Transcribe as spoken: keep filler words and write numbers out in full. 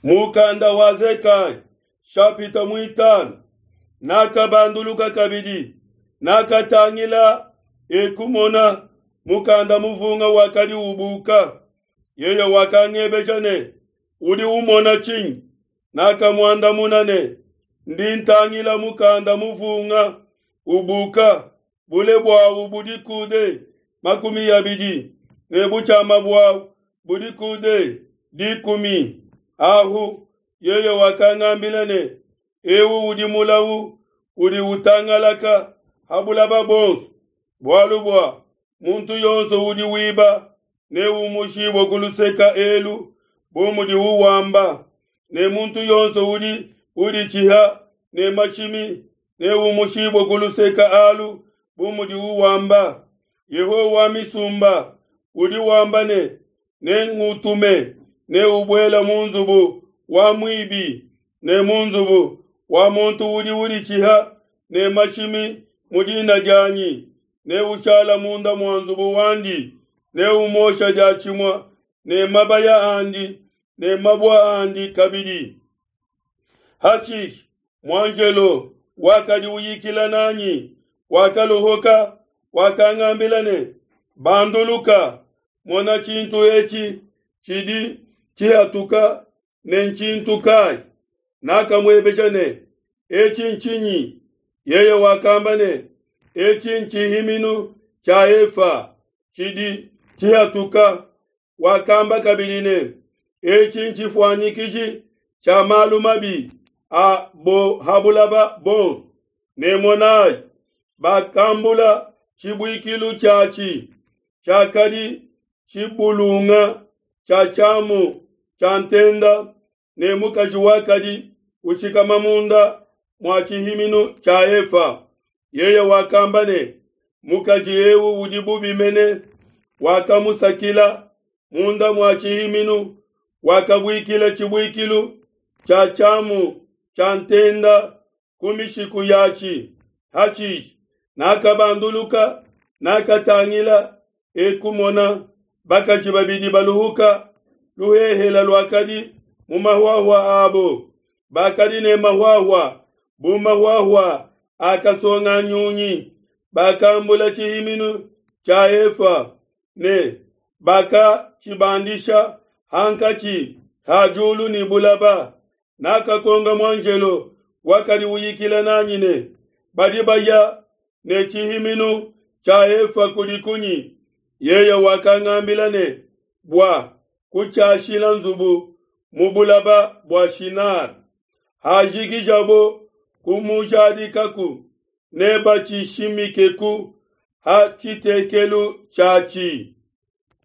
Mukanda wa Zekaya shapita muitanu. Nakabanduluka kabidi, nakatangila ekumona mukanda muvunga wakadi ubuka. Yeye wakangebeja ne, udi umona tshinyi? Nakamuandamuna ne, ndi ntangila mukanda muvunga ubuka, bule buawu budi kude makumi abidi ne butshiama buawu budi kude dikumi. Ahu yeye wakangambila ne, ewu udi mulawu udi utangalaka ha bulaba bonso, bualu bua muntu yonso udi wiba neumushibue ku luseka elu bu mudiwu wamba, ne muntu yonso udi uditshiha ne mashimi neumushibue ku luseka alu bu mudiwu wamba. Yehowa wa misumba udi wamba ne, nengutume ne ubuela mu nzubu wa muibi ne mu nzubu wa muntu udi uditshiha ne mashimi mu dina dianyi, ne ushala munda mua nzubu wandi, ne umosha diatshimue ne mabaya andi ne mabua andi kabidi. Hashishe muanjelo wakadi uyikila nanyi wakaluhuka, wakangambila ne, banduluka, mona tshintu etshi tshidi tshihatuka ne ntshintu kai? Nakamuebeja ne, etshi ntshinyi? Yeye wakamba ne, etshi ntshihiminu tshia efa tshidi tshihatuka. Wakamba kabidi ne, etshi ntshifuanyikiji tshia malu mabi a bo ha bulaba bonso. Ne monai, bakambula tshibuikilu tshiatshi tshiakadi tshibulunga tshia tshiamu tshia ntenda, ne mukaji wakadi ushikama munda mua tshihiminu tshia efa. Yeye wakamba ne, mukaji eu udi bubi mene, wakamusakila munda mua tshihiminu, wakabuikila tshibuikilu tshia tshiamu tshia ntenda ku mishiku yatshi. Hashishe nakabanduluka, nakatangila, ekumona bakaji babidi baluhuka luhehela luakadi mu mahuahua abo, bakadi ne mahuahua bu mahuahua akasonga nyunyi. Bakambula tshihiminu tshia efa ne bakatshibandisha hankatshi ha diulu ne bulaba. Nakakonga muanjelo wakadi uyikila nanyi ne, badi baya ne tshihiminu tshia efa kudi kunyi? Yeye wakangambila ne, bua kutshiashila nzubu mu bulaba bua Shinar. Hajikijabo kumujadikaku, nebatshishimikeku ha tshitekelu tshiatshi.